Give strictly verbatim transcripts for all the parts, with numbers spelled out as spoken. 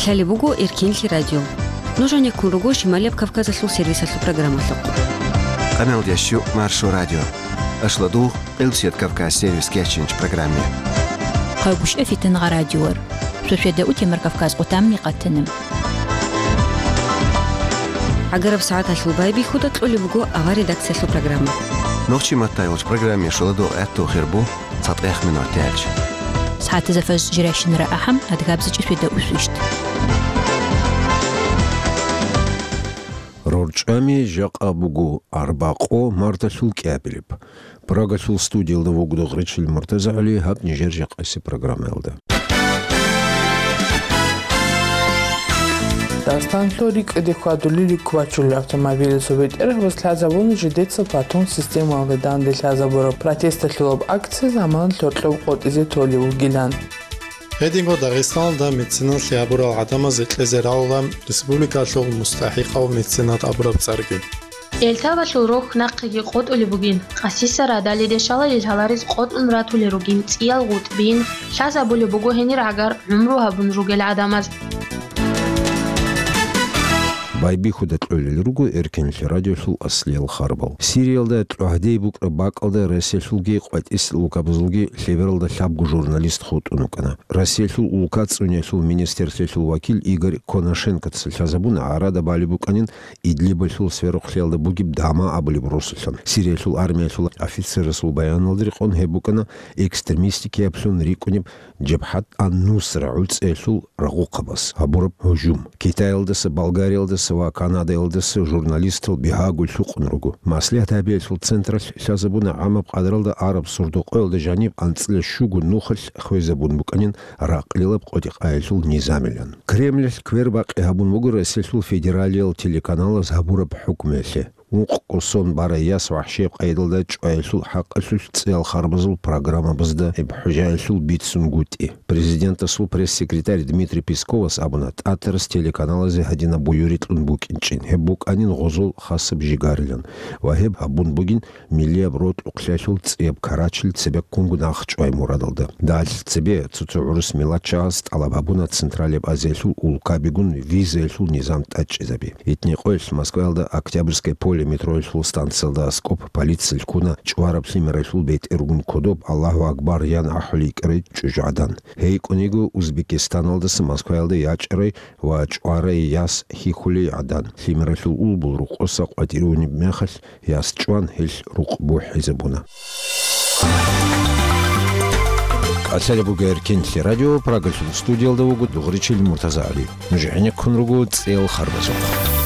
Лъалеб буго Эркенлъи радио. Нуж гьанеккун руго Шималияб Кавказалъул сервисалъул программалъухъ. Къамел дящу Маршо радио. Ашладугъ, Къилбсият Кавказ сервис кечинч программе. Хъайгущ эфитан гъа радиор. Шошеда утемар Кавказ къутамни къатана. ГӀагараб сагӀаталъул байбихьуда кьолеб буго авар редакциялъул программа. Нохчи маттайгъулч программе шуладугъ гӀатту хирбу. ЦатӀех минут тяч. СагӀатазда фаз жирайщинара ахӀам, адгабзичӀи сведа усвищт. РорчӀами жакъа буго арбакъо марталъул кӀиабилеб. Прагалъул студиялда вугода Гъречил МуртазагӀали гьаб нижер жакъаси программаялда. Дагъистанлъул рикӀкӀаде хьвадулел руккубачулел автомобиласул бетӀергьабаз лъазабуна жидеца Платон системалда данде лъазабураб протесталъулаб акция заман лъоркьоб къотӀизе толев вугилан. Гьединго Дагъистаналда меценатлъи гьабурал гӀадамазе кьезе рагӀула республикалъул мустахӀикъав меценат абураб цӀарги. Элтавалъул рохь нахъеги къотӀулеб бугин, къасиса радалиде шалалил гьаларез къотӀун ратулел ругин цӀиял гъутӀбин, лъазабулеб буго гьенир гӀагар гӀумру гьабун ругел гӀадамаз. Байбихьуда кьолел руго Эркенлъи радиолъул аслиял харбал. Сириялда тӀугьдей букӀараб бакӀалда Россиялъулги къватӀис улкабазулги лъебералда лъабго журналист хутӀун вукӀана. Россиялъул улка цӀуниялъул министрлъиялъул вакил Игорь Конашенкоца лъазабуна гӀарада балеб букӀанин Идлибалъул сверухълъиялда бугеб Дама абулеб росулъан. Сириялъул армиялъул офицерасул баяналда рекъон гьеб букӀана экстремистикияблъун рикӀкӀунеб Жабхат ан-Нусра гӀуцӀиялъул рагъухъабаз гьабураб гьужум. Китаялдаса, Болгариялдаса ва Канадаялдаса журналистал бигьаго лъукъун руго. Маслигьат гьабиялъул централъ лъазабуна гӀамаб къадралда араб Сурдукъоялда жаниб анцӀила щуго нухалъ хвезабун букӀанин ракълилаб къотӀи-къаялъул низамилан. Кремлалъ квербакъи гьабун буго Россиялъул федералиял телеканалаз гьабураб хӀукмуялъе. Ункъго сон барай яс вахӀшияб къайдалда чӀваялъул хӀакъалъулъ цӀиял харбазул программабазда гьеб хӀужаялъул бицунгутӀи. Президентасул пресс-секретарь Дмитрий Песковас абуна, ТӀатарас телеканалазе гьадинаб буюрикьун букӀинчӀин, гьеб букӀанин гъозул хасаб жигарилан ва гьеб гьабун бугин миллияб рокьукълъиялъул цӀияб карачил цебеккунго нахчӀвай мурадалда. Далъ цебе цо-цо гӀурус миллатчагьаз тӀалаб гьабуна Централияб Азиялъул улкабигун визаялъул низам тӀадчӀезаби. Итни къоялъ Москваялда Октябрьское поле метроялъул станциялда аскӀоб полициялъ ккуна чӀвараб лъимералъул бетӀергун кодоб «Аллагьу Акбар» ян ахӀулей йикӀарай чӀужугӀадан. Гьей кӀун йиго Узбекистаналдаса Москваялда ячӀарай ва чӀварай яс хьихьулей гӀадан. Лъимералъул улбул рокъоса къватӀирунеб мехалъ, яс чӀван гьелъ рукъ бухӀизабуна. КӀалъалеб буго Эркенлъи радио, Прагалъул студиялда вуго Дугъричил МуртазагӀали. Нуж гӀенеккун руго цӀиял харбазухъ.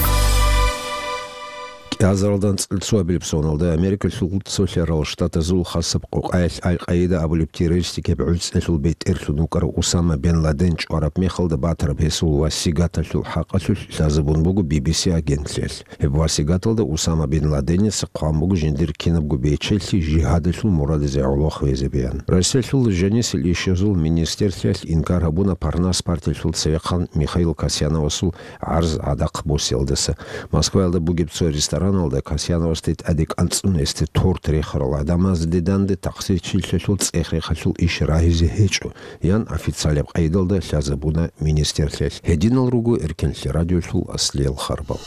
КӀиазаралда анцӀила цоабилеб соналда Америкалъул Цолъарал Штатазул хасаб къокъаялъ Аль-Къаида абулеб террористикияб гӀуцӀиялъул бетӀерлъун вукӀарав Усама бен Ладен чӀвараб мехалда батараб гьесул васигаталъул хӀакъалъулъ лъазабун буго Би Би Си агентлъиялъ. Гьеб васигаталда Усама бин Ладеница хъван буго жиндир кинабго бечелъи жигьадалъул мурадизе гӀоло хвезабеян. Россиялъул жанисел ишазул министрлъиялъ инкар гьабуна Парнас партиялъул цевехъан Михаил Касьяновасул гӀарз гӀадахъ босиялдаса. Москваялда бугеб цо рестораналда Касьяновасде тӀаде кӀанцӀун гьесде торт рехарал гӀадамазде данде тахсирчилъиялъул цӀех-рехалъул иш рагьизе гьечӀо, ян официалаб къайдалда лъазабуна министрлъиялъ. Гьединал руго Эркенлъи радиолъул аслиял харбал.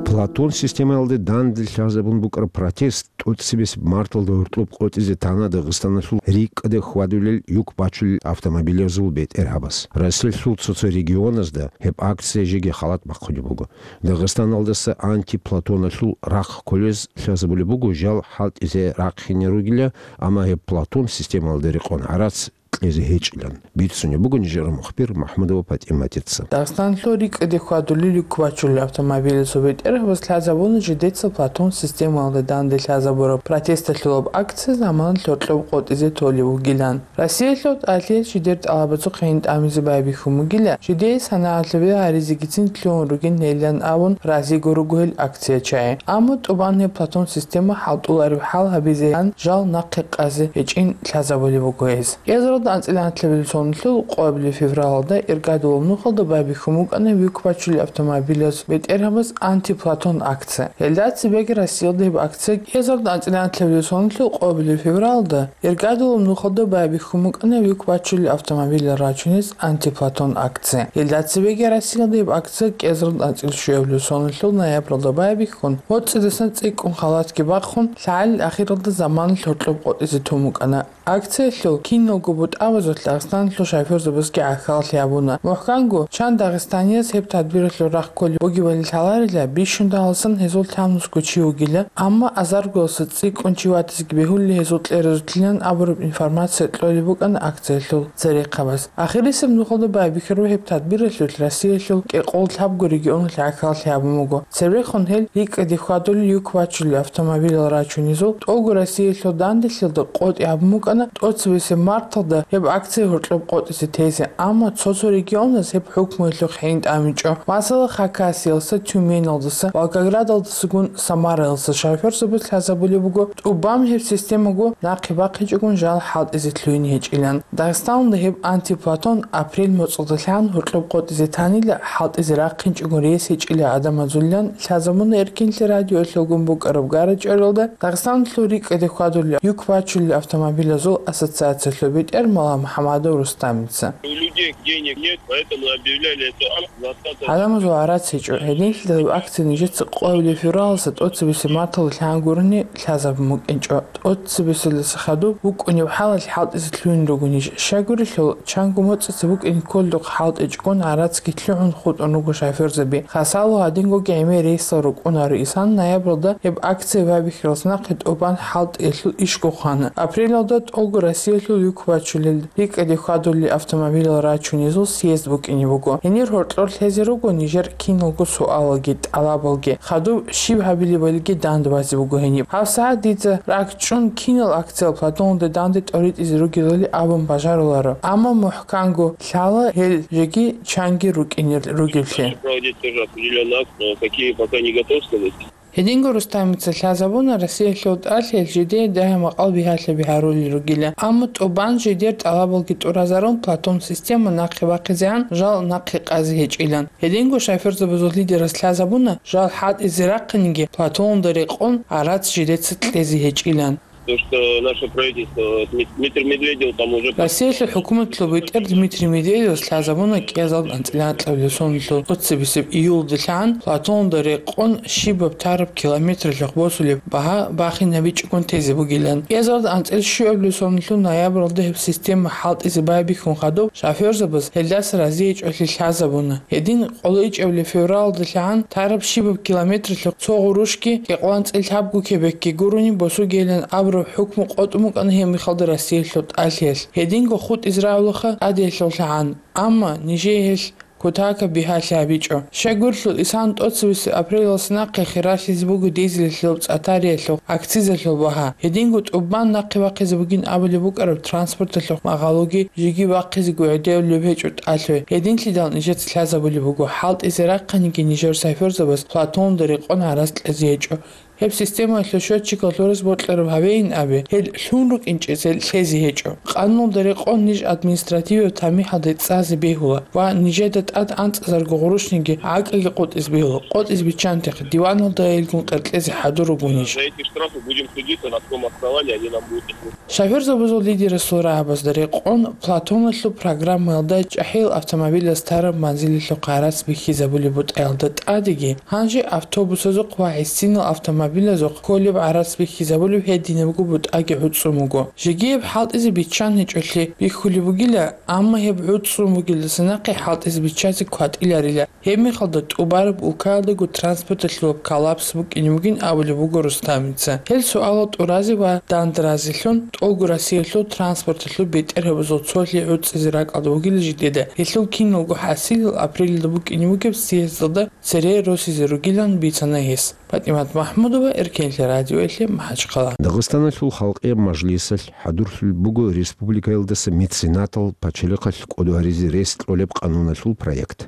Платон системаялде данде лъазабун букӀараб протест тӀоцебесеб марталда гьоркьоб къотӀизе тана Дагъистаналъул рикӀкӀаде хьвадулел юк бачулел автомобилазул бетӀергьабаз. Россиялъул цо-цо регионазда гьеб акция жеги халат бахъулеб буго. Дагъистаналдаса антиплатоналъул рахъ кколез лъазабулеб буго жал хӀалтӀизе рахъине ругила, амма гьеб платон системалда рекъон гӀарац кьезе гьечӀилан. Бицунеб буго нижер мухбир МахӀмудова ПатӀиматица. Дагъистаналъул рикӀкӀаде хьвадулел юк бачулел автомобилазул бетӀергьабаз лъазабуна жидеца платон системалда данде лъазабураб протесталъулаб акция заман лъоркьоб къотӀизе толев вугилан. Россиялъул тӀалъиялъ жидер тӀалабазухъе гьин тӀамизе байбихьун бугила, жидее санагӀалъубе гьаризегицин лъугьун ругин гьелилан абун разиго руго гьел акциячагӀи. Амма тӀубан гьеб платон система хӀалтӀулареб хӀал гьабизеян жал нахъе къазе гьечӀин лъазабулеб буго гьез. КӀиазарал анцӀила анлъабилеб сонлъул къоабилеб февралалда иргадулаб нухалда байбихьун букӀана вихьбачулел автомобилаз бетӀергьабаз антиплатон акция. Гьелда цебеги Россиялда гьеб акция кӀиазарда анцӀила анлъабилеб сонлъул къоабилеб февралалда иргадулаб нухалда байбихьун букӀана вихьбачулел автомобилал рачунез антиплатон акция. Гьелда цебеги Россиялда гьеб акция кӀиазарда анцӀила щуабилеб сонлъул ноябралда байбихьун, гьоцӀидасан цӀикӀкӀун халатги бахъун, лъагӀалил ахиралда заманалъ гьоркьоб къотӀизе тун букӀана. Акциялъул киналго бутӀабазулъ Дагъистаналъул шофёрзабазги гӀахьаллъи гьабуна. МухӀканго, чан дагъистанияз гьеб тадбиралъул рахъ кколеб бугебали лъаларила, бищун дагьаласан гьезул лъабнусго чи вугила, амма азаргоялъа цӀикӀкӀун чи ватизеги бегьулел гьезул кьеразулъилан абураб информация кьолеб букӀана акциялъул церехъабаз. Ахирисеб нухалда байбихьараб гьеб тадбиралъулъ Россиялъул кӀикъоялда лъабго регионалъ гӀахьаллъи гьабун буго. Цебехун гьел рикӀкӀаде хьвадулел юк бачулел автомобилал рачунезул тӀолго Россиялъул данделъиялда къотӀи гьабун букӀана тӀоцебесеб марталда гьеб акция гьоркьоб къотӀизе тезе, амма цо-цо регионаз гьеб хӀукмуялъухъ гьениб тӀамичӀо. Масала, Хакасиялдаса, Тюменалдаса, Волгоградалдасагун Самараялдаса шофёрзабаз лъазабулеб буго, тӀубан гьеб системаго нахъе бахъичӀогун жал хӀалтӀизе лъугьине гьечӀилан. Дагъистаналда гьеб антиплатон апрель моцӀалдалъан гьоркьоб къотӀизе танила, хӀалтӀизе рахъинчӀого рес гьечӀила гӀадамазулилан лъазабуна Эркинлъи радиоялъулгун букӀараб гара-чӀваралда Дагъистаналъул рикӀкӀаде хьвадулел юк бачулел автомобилазул ассоциациялъул бетӀер Маллагьмухьамадов Рустамица. У людей денег нет, поэтому объявляли эту акцию двадцатого. ГӀадамазул гӀарац гьечӀо. Гьединлъидал акция нижеца къоабилеб февралалдаса тӀоцебесеб марталда лъан гурони лъазабун букӀинчӀо. ТӀоцебесеб марталдаса хадуб букӀунеб хӀалалъ хӀалтӀизе лъугьин руго ниж. Щайгурелъул, чанго моцӀица букӀине кколдухъ хӀалтӀичӀогун гӀарацги лъугӀун хутӀун руго шофёрзаби. Хасало гьадингоги гӀемер рейсал рукӀунаро исан ноябралда гьеб акция байбихьаралдаса нахъе тӀубан хӀалтӀиялъул ишго хвана. Апрелалда тӀолго Россиялъул юк бачулел рикӀкӀаде хьвадулел автомобилал рачунезул съезд букӀине буго. Гьенир гьоркьор лъезе руго нижер киналго суалалги тӀалабалги, хадуб щиб гьабилебалиги данде базе буго гьениб. ГьабсагӀат дица ракӀчӀун кинал акциял платонда данде тӀоритӀизе ругелали абун бажаруларо. Амма мухӀканго лъала гьел жеги чанги рукӀине ругеллъи. Проводить тоже определённую акцию, но какие пока не готов сказать. Гьединго Рустамица лъазабуна Россиялъул тӀалъиялъ жидее дагьа-макъал бигьалъаби гьарулел ругила, амма тӀубан жидер тӀалабалги тӀуразарун платон система нахъе бахъизегӀан жал нахъе къазе гьечӀилан. Гьединго шофёрзабазул лидерас лъазабуна жал хӀалтӀизе рахъинеги платонда рекъон гӀарац жидеца кьезе гьечӀилан. То, что наше правительство, Дмит-, Дмитрий Медведев там уже... Россиялъул хӀукуматалъул бетӀер Дмитрий Медведевас лъазабуна кӀиазал анцӀила анлъабилеб сонлъул тӀоцебесеб июлалдалъан платонда рекъон щибаб тараб километралъухъ босулеб багьа бахинабичӀогун тезе бугилан. КӀиазал анцӀила щуабилеб сонлъул ноябралда гьеб система хӀалтӀизе байбихьун хадуб, шофёрзабаз гьелдаса разиячӀолъи лъазабуна. Гьедин къоло ичӀабилеб февралалдалъан тараб щибаб километралъухъ цо гъурущги, кӀикъоялда анцӀила лъабго кебекги гурони босугейилан абураб хӀукму къотӀун букӀана гьеб мехалда Россиялъул тӀалъиялъ. Гьединго хутӀизе рагӀулаха тӀадиялъулъгӀан, амма нижее гьелъ кутакаб бигьалъи гьабичӀо. Щайгурелъул, исан тӀоцебесеб апрелалдаса нахъе хиралъизе буго дизелалъул, цӀатариялъул, акцизалъул багьа. Гьединго тӀубан нахъе бахъизе бугин абулеб букӀараб транспорталъухъ магъалоги жеги бахъизего гӀедевлеб гьечӀо тӀалъуй. Гьединлъидал нижеца лъазабулеб буго, хӀалтӀизе рахъинеги нижер шофёрзабаз платонда рекъон гӀарац кьезе гьечӀо. Гьеб системаялъул счётчикал лъураз бокьараб гьавейин абе, гьел лъун рукӀинчӀел лъезе гьечӀо. Къануналда рекъон ниж административияб тамихӀалде цӀазе бегьула ва нижеда тӀад анцӀазарго гъурущниги гӀакӀаги къотӀизе бегьула, къотӀизе биччанте диваналда гьелгун къеркьезе хӀадур руго ниж. За эти штрафы будем судиться, на каком основании они нам будут. Шофёрзабазул лидерасул рагӀабазда рекъон платоналъул программаялда чӀахӀиял автомобилаз тараб манзилалъухъ гӀарац бихьизабулеб бутӀаялда тӀадеги, гьанже автобусазухъ ва гӀисинал автомобилазухъ кколеб гӀарац бихьизабулеб гьединабго бутӀаги гӀуцӀун буго. Жеги гьеб хӀалтӀизе биччан гьечӀолъи бихьулеб бугила, амма гьеб гӀуцӀун бугелдаса нахъе хӀалтӀизе биччазе кватӀиларила. Гьеб мехалда тӀубараб улкаялдаго транспорталъулаб коллапс букӀине бугин абулеб буго Рустамица. Гьел суалал тӀуразе ва дандаразелъун тӀолго Россиялъул транспорталъул бетӀергьабазул цолъи гӀуцӀизе ракӀалда бугила жидеда, гьелъул киналго хӀасилал апрелалда букӀине бугеб съездалда цере росизе ругилан бицана гьес. ПатӀимат Махмудова. Ва Эркенлъи радиоялъе МахӀачхъала. Дагъистаналъул халкъияб мажлисалъ хӀадурлъулеб буго республикаялдаса меценатал пачалихъалъ кӀодо гьаризе рес кьолеб къануналъул проект.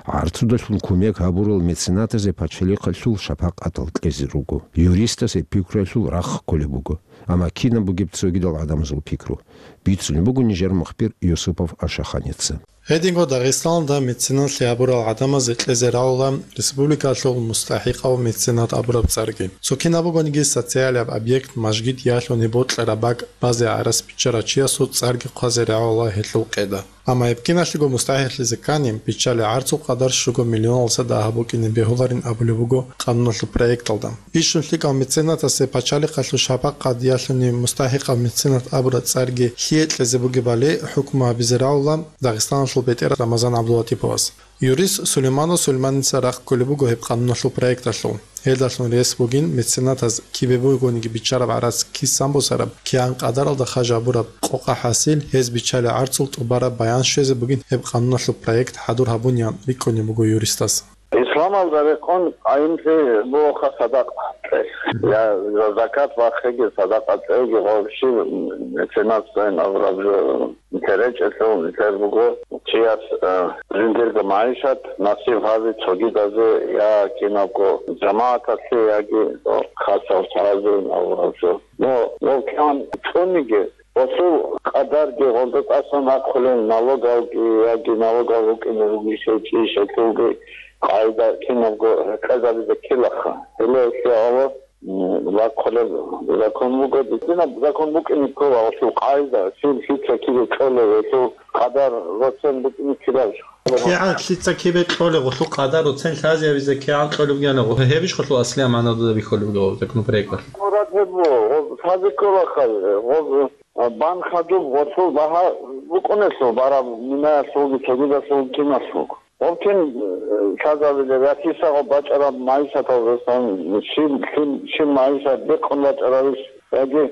ГӀарцудалъун кумек гьабурал меценатазе пачалихъалъул шапакъатал кьезе руго. Юристасе пикруялъул рахъ кколеб буго. Амма кинаб бугеб цогидал гӀадамазул пикру? Бицунеб буго нижер мухбир Юсупов Ашаханица. Гьединго Дагъистаналда меценатлъи гьабурал гӀадамазе кьезе рагӀула республикалъул мустахӀикъав меценат абураб цӀарги. Цо кинаб бугониги социалияб объект, мажгит ялъуни бокьараб бакӀ базе гӀарац биччарав чиясул цӀарги хъвазе рагӀула гьелъул къеда. Амма гьеб киналъего мустахӀикълъизе ккани, биччалеб гӀарцул къадар щуго миллионалдаса дагьаб букӀине бегьуларин абулеб буго къануналъул проекталда. Бищун лъикӀав меценатасе пачалихъалъул шапакъат ялъуни мустахӀикъав меценат абураб цӀарги лъие кьезе бугебали хӀукму гьабизе рагӀула Дагъистаналъул бетӀер Рамазан ГӀабдулатиповас. Юрист Сулейманов Сулейманица рахъ кколеб буго гьеб къануналъул проекталъул. Гьелдалъун рес бугин меценатаз кибе бугониги биччараб гӀарац кисан босараб, кигӀан къадаралда хажа гьабураб къокъа хӀасил, гьез биччалеб гӀарцул тӀубараб баян щвезе бугин гьеб къануналъул проект хӀадур гьабуниан рикӀкӀунеб буго юристас. Исламалда рекъон къайимлъи бугоха садакъа кьей. Я закат бахъиги, садакъа кьейги, гъоб щиб меценатцайин абураб жо нилъер речӀелъул, нилъер буго чияс, э, жиндирго магӀишат насиб гьаби цогидазе, я кинабго жамагӀаталъе, яги хасал чагӀазейин абураб жо. Но, но кигӀан цӀуниги, гъосул къадарги, гъолда тӀасан рахъулел налогалги, яги налогал рукӀине ругищ гьечӀищ, гьелъулги къагӀида кинабго гьекъезабизе ккелаха. Гьеле гьелъие гьава, м, рахъулеб закон буго, динаб закон букӀине ккола гъосул къагӀида, щиб лъица кибе кьолеб, гьелъул къадар роцен букӀине ккелабищ. КигӀан лъица кибе кьолеб, гъолъул къадар роцен лъазе гьабизе кигӀан кьолеб бугеб, гьебищ гъолъул аслияб магӀна дуда бихьулеб буго законопроекталъ? Мурад гьеб буго, гъоб лъазе кколаха, гъоб А, бан хадуб гъолъул багьа букӀунелъул, бараб минаялъулги цогидалъул киналъул. Гъоб кин, э, лъазабилеб, я кисагъаб бачӀараб магӀишаталдасан щиб, щиб, щиб магӀишат бекъун бачӀаравищ, яги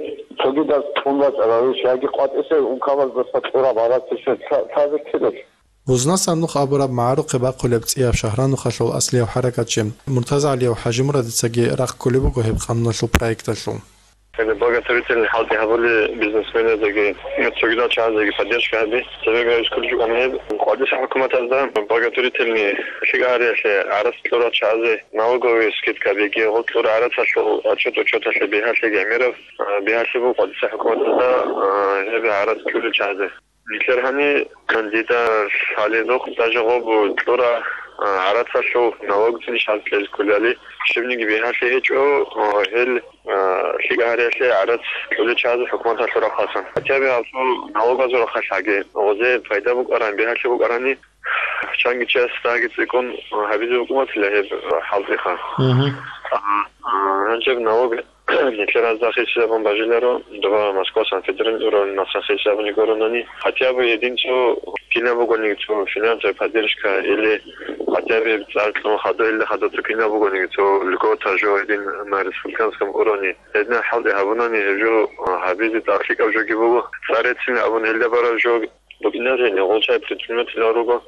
цогидаз кьун бачӀаравищ, яги къватӀисел ункабаздаса кьураб гьаракьише лъа-, лъазе ккелелъ. Бузнасан нух абураб магӀарухъе бахъулеб цӀияб Шагьранухалъул аслияб хӀаракатчи МуртазагӀалиев ХӀажимурадицаги рахъ кколеб буго гьеб къануналъул проекталъул. Гьеб благотворительный хӀалтӀи гьабули бизнесменазеги, цогидал чагӀазеги поддержка гьаби. Цебе гайи кколчӀукӀана гьеб къватӀиса хӀукуматазда благотворительный лъикӀа гьариялъе гӀарац кьурал чагӀазе налоговый скидка беги, гъо кьура гӀарацалъул отчет-учеталъе бигьалъи гӀемераб, а, бигьалъи буго къватӀиса хӀукуматазда, а, гьеб гӀарац кьурал чагӀазе. Нилъер гьани кандидат лъаледухъ даже гъоб кьура, а, гӀарацалъул налог цӀинищ гьаз кьезе кколели, щибниги бигьалъи гьечӀо, а, гьел, а, лъикӀа гьариялъе гӀарац кьулел чагӀазул хӀукуматалъул рахъасан. Хотя бы гьазул налогазул рахъалъаги, гъозе пайда букӀаран, бигьалъи букӀарани, чанги чияс дагьги цӀикӀкӀун гьабизе букӀунатила гьеб хӀалтӀиха. Мгм. А, а, гьанже налог Нилъер гьазда хисизабун бажиларо, доба Москва, Санкт-Петербург уровень маса хисизабуни гуронани, хотя бы гьедин цо кинаб бугониги цо финансовая поддержка или хотя бы цӀар кьун хадур, или хадур цо кинаб бугониги цо льгота жо гьедин на республиканском уровне. Гьединаб хӀалтӀи гьабунани гьеб жо гьабизе тӀад лъикӀаб жоги буго. ЦӀар реццин абун гьелда бараб жо букӀинарин, гъолчай предприниматель руго,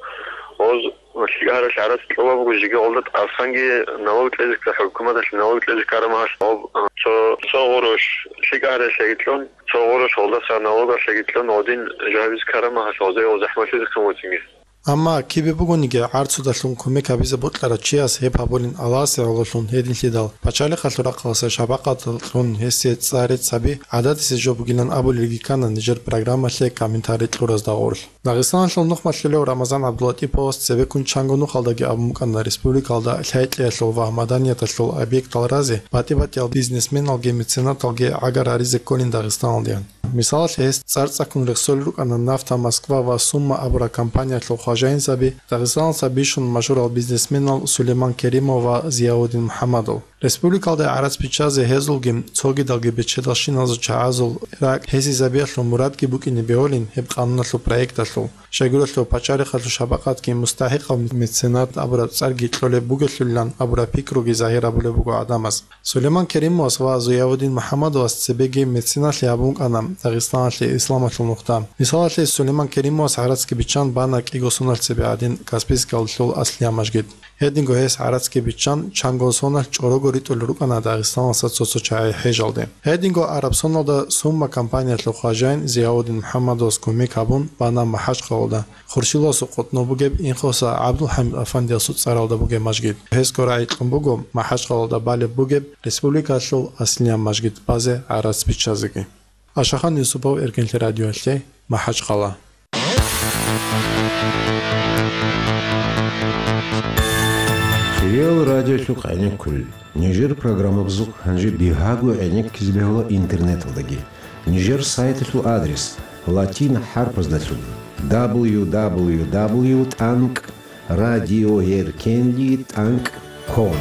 гъоз лъикӀаралъ гӀарац кьола буго, жеги гъолда тӀасанги налог кьезе ккара, хӀукуматалъ налог кьезе ккара магьалъ гъоб, цо, цо гъурущ лъикӀаралъеги кьун, цо гъурущ гъолдаса налогалъеги кьун, гъодин жавиз ккара магьалъ гъозе гъоз захӀмалъизе хъумуцинги. Амма кибе бугониги гӀарцудалъун кумек гьабизе бокьарав чияс гьеб гьабулин Аллагьасе гӀололъун гьединлъидал, пачалихъалъул рахъалъа шапакъатал кьун гьесие цӀар рецц гьаби гӀадатисе жо бугилан абулелги ккана нижер программалъе комментарий кьуразда гъорлъ. Дагъистаналъул нухмалъулев Рамазан ГӀабдулатӀиповас цебеккун чанго нухалдаги абун букӀана республикалда лъай-кьеялъул ва маданияталъул объектал разе батӀи-батӀиял бизнесменалги меценаталги гӀагар гьаризе кколин Дагъистаналдеян. Мисалалъе, гьес цӀар цӀаккун рехсолел рукӀана «Нафта Москва» ва «Сумма» абурал компаниялъул хважаинзаби, Дагъистаналдаса бищун машгьурал бизнесменал Сулейман Керимов ва Зияудин МухӀаммадов. Республикалда гӀарац биччазе гьезулги цогидалги бечедалщиназул чагӀазул ракӀ гьесизабиялъул мурадги букӀине бегьулин гьеб къануналъул проекталъул, щайгурелъул пачалихъалъул шапакъатги мустахӀикъав меценат абураб цӀарги кьолеб бугелъулилан абураб пикруги загьир гьабулеб буго гӀадамаз. Сулейман Керимовас ва Зиявудин МухӀаммадовас цебеги меценатлъи гьабун букӀана Дагъистаналъе исламалъул нухда. Мисалалъе, Сулейман Керимовас гӀарацги биччан бана кӀиго соналъ цебе гӀадин Каспийскалъул аслияб мажгит. Гьединго гьес гӀарацги биччан, чанго соналъ чӀорого ритӀулел рукӀана Дагъистаналдаса цо-цо чагӀи хӀежалде. Гьединго Арабсоналда Сумма компаниялъул хважаин Зияудин МухӀаммадовас кумек гьабун бана МахӀачхъалалда, Хуршиласул къотӀнов бугеб Инхоса ГӀабдулхӀамид афандиясул цӀаралда бугеб мажгит. Гьесго рагӀи кьун буго МахӀачхъалалда балеб бугеб республикалъул аслияб мажгит базе гӀарац биччазеги. Ашахан Юсупов, Эркенлъи радиоялъе, МахӀачхъала. Хириял радиолъухъ гӀенеккулел. Нижер программабазухъ гьанже бигьаго гӀенеккизе бегьула интернеталдаги. Нижер сайталъул адрес: латин хӀарпаздалъун: дабл ю дабл ю дабл ю тӀанкӀ радиоэркенли тӀанкӀ ком.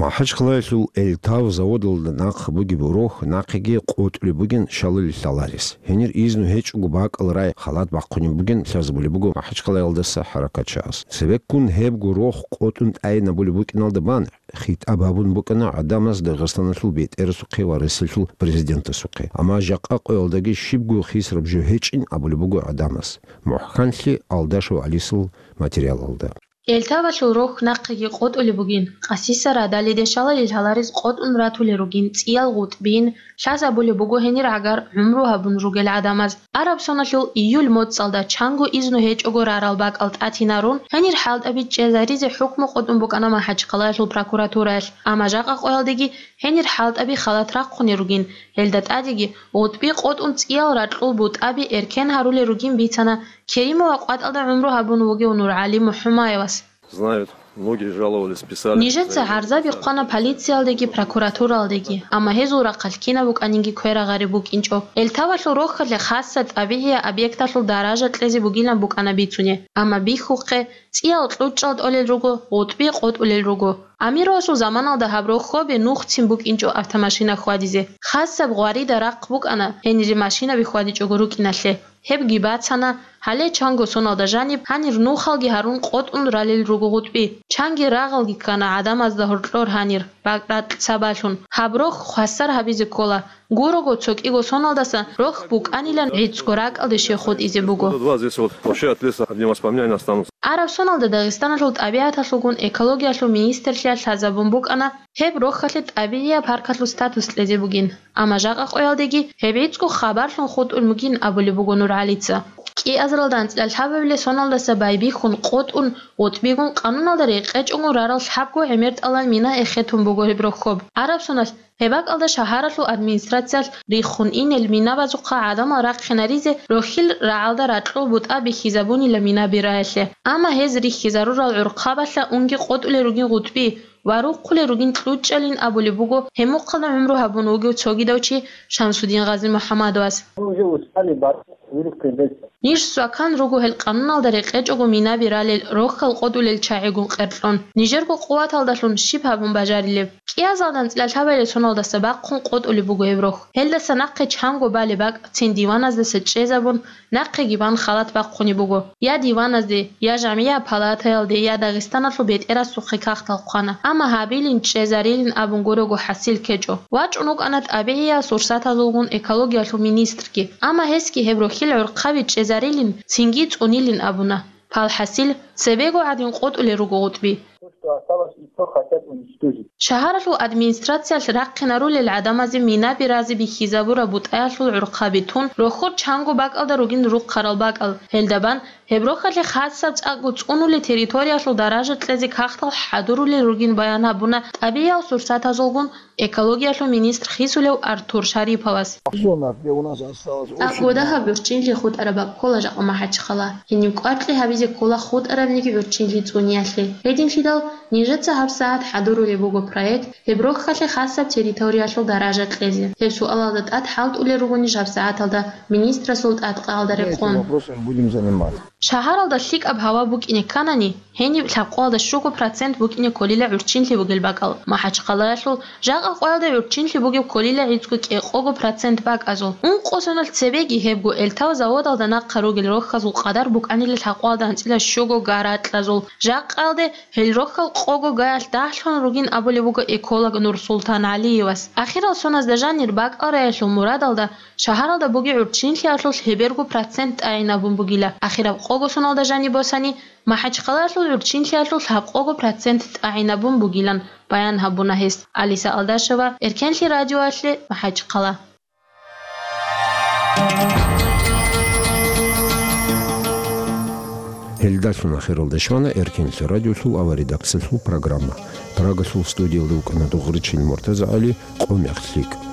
МахӀачхъалаялъул Эльтав заводалда нахъ бугеб рохь нахъеги къотӀулеб бугин шалалил лъаларес. Гьенир изну гьечӀого бакӀал рай халат бахъунеб бугин лъазабулеб буго МахӀачхъалаялдаса хӀаракатчагӀаз. Цебеккун гьебго рохь къотӀун тӀайинабулеб букӀиналда бан хитӀаб гьабун букӀана гӀадамаз Дагъистаналъул бетӀерасухъе ва Россиялъул президентасухъе. Амма жакъа къоялдаги щибго хисраб жо гьечӀин абулеб буго гӀадамаз. МухӀканлъи Алдашев ГӀалисул материалалда. Эльтавалъул рохь нахъеги къотӀулеб бугин, къасиса радалиде шалалил лъаларез къотӀун ратулел ругин цӀиял гъутӀбин, лъазабулеб буго гьенир гӀагар гӀумру гьабун ругел гӀадамаз. Арабсоналъул июль моцӀалда чанго изну гьечӀого рарал бакӀал тӀатинарун, гьенир хӀалтӀаби чӀезаризе хӀукму къотӀун букӀана МахӀачхъалаялъул прокуратураялъ, амма жакъа къоялдеги гьенир хӀалтӀаби халат рахъунел ругин, гьелда тӀадеги гъутӀби къотӀун цӀиял ракьул бутӀаби эркен гьарулел ругин бицана Керимова къватӀалда гӀумру гьабун вугев НургӀали МухӀумаевас. Знают, многие жаловались, писали. Нижеца гӀарзаби хъвана полициялдеги прокуратуралдеги, амма гьезул рахъалъ кинаб букӀанинги кверагъареб букӀинчӀо. Эльтавалъул рохьалъе хасса тӀабигӀияб объекталъул даража кьезе бугилан букӀана бицунеб, амма бихьухъе, цӀиял кьучӀал тӀолел руго, гъутӀби къотӀулел руго. Амировасул заманалда гьаб рохьоби нухцин букӀинчӀо автомашина хьвадизе. Хасаб гъварида рахъ букӀана гьенире машинаби хьвадичӀого рукӀиналъе. Гьебги бацана, гьале чанго соналда жаниб гьанир нухалги гьарун къотӀун ралел руго гъутӀби. Чанги рагъалги ккана гӀадамазда гьоркьор гьанир, бакӀ-ракь сабаблъун. Гьаб рохь хвасар гьабизе ккола. Гурого цо кӀиго соналдаса рохь букӀанилан гӀицӀго ракӀалде щей хутӀизе буго. Два здесь вот вообще от леса одни воспоминания останутся. Арабсоналда Дагъистаналъул тӀабигӀаталъулгун экологиялъул министрлъиялъ лъазабун букӀана, гьеб рохьалъе тӀабигӀияб паркалъул статус кьезе бугин, амма жакъа къоялдеги гьеб гӀицӀго хабарлъун хутӀун бугин абулеб буго НургӀалица. КӀиазаралда анцӀила лъабабилеб соналдаса байбихьун къотӀун, гъутӀбигун къануналда рекъечӀого рарал лъабго гӀемертӀалан мина эхетун буго гьеб рохьоб. Арабсоналъ гьеб бакӀалда шагьаралъул администрациялъ риххун инел минабазухъа гӀадамал рахъинаризе рохьил рагӀалда ракьул бутӀа бихьизабунила минаби раялъе. Амма гьез рихьизарурал гӀурхъабалъа унги къотӀулел ругин гъутӀби ва рухъулел ругин кьучӀалин абулеб буго гьеб мухъалда гӀумру гьабун вугев цогидав чи Шамсудин Гъази МухӀаммадовас. Мы уже устали бороться, вырубкой леса. Ниж свакан руго гьел къануналда рекъечӀого минаби ралел рохьал къотӀулел чагӀигун къеркьун. Нижерго къуваталдалъун щиб гьабун бажарилеб? КӀиазалда анцӀила лъабабилеб соналдаса бахъун къотӀулеб буго гьеб рохь. Гьелдаса нахъе чанго балеб бакӀ цин диваназдаса чӀезабун, нахъеги бан халат бахъунеб буго. Я диваназде, я жамгӀияб палатаялде, я Дагъистаналъул бетӀерасухъе кагътал хъвана. Амма гьабилин, чӀезарилин абун гурого хӀасил ккечӀо. ВачӀун вукӀана тӀабигӀиял сурсатазулгун экологиялъул министрги. Амма гьесги гьеб рохьил гӀурхъаби чӀезарилин, цинги цӀунилин абуна. Палхасил, цебего гӀадин къотӀулел руго гъутӀби. То, что осталось, и то хотят уничтожить. Шагьаралъул администрациялъ рахъинарулел гӀадамазе минаби разе бихьизабураб бутӀаялъул гӀурхъаби тун, рохьор чанго бакӀалда ругин рухъарал бакӀал. Гьелда бан гьеб рохьалъе хасаб цӀакъго цӀунулел территориялъул даража кьезе кагътал хӀадурулел ругин баян гьабуна тӀабигӀиял сурсатазулгун экологиялъул министр хисулев Артур Шариповас. Зона, где у нас осталось очень мало. ЦӀакъго дагьаб гӀурччинлъи хутӀараб бакӀ ккола жакъа МахӀачхъала. Гьениб кӀваркьи гьабизе ккола хутӀарабниги гӀурччинлъи цӀуниялъе. Гьединлъидал нижеца гьабсагӀат хӀадурулеб буго проект, гьеб рохьалъе хасаб территориялъул даража кьезе. Гьеб суалалда тӀад хӀалтӀулел руго ниж гьабсагӀаталда министрасул тӀадкъаялда рекъон. Этим вопросом будем заниматься. Шагьаралда лъикӀаб гьава букӀине кканани, гьениб лъабкъоялда щуго процент букӀине кколила гӀурччинлъи бугел бакӀал, МахӀачхъалаялъул жакъа къоялда гӀурччинлъи бугеб кколила гӀицӀго кӀикъого процент бакӀазул. Ункъо соналъ цебеги гьебго Эльтав заводалда нахъа ругел рохьазул къадар букӀанила лъабкъоялда анцӀила щуго гаракьазул. Жакъаялде гьел рохь Къого гаялъ дагьлъун ругин абулеб буго эколог Нурсултан ГӀалиевас. Ахирал соназда жанир бакӀал раялъул мурадалда шагьаралда бугеб гӀурччинлъиялъулъ гьеберго процент тӀагӀинабун бугила. Ахираб къого соналда жаниб босани, МахӀачхъалаялъул гӀурччинлъиялъулъ гьаб къого процент тӀагӀинабун бугилан баян гьабуна гьес. Алиса Алдашева, Эркенлъи радиоялъе, МахӀачхъала. Гьелдалъун ахиралда щвана Эркенлъи радиолъул аваридахъсалъул программа. Прагалъул студиялда вукӀана Дугъричин МуртазагӀали, къо мех лъикӀ.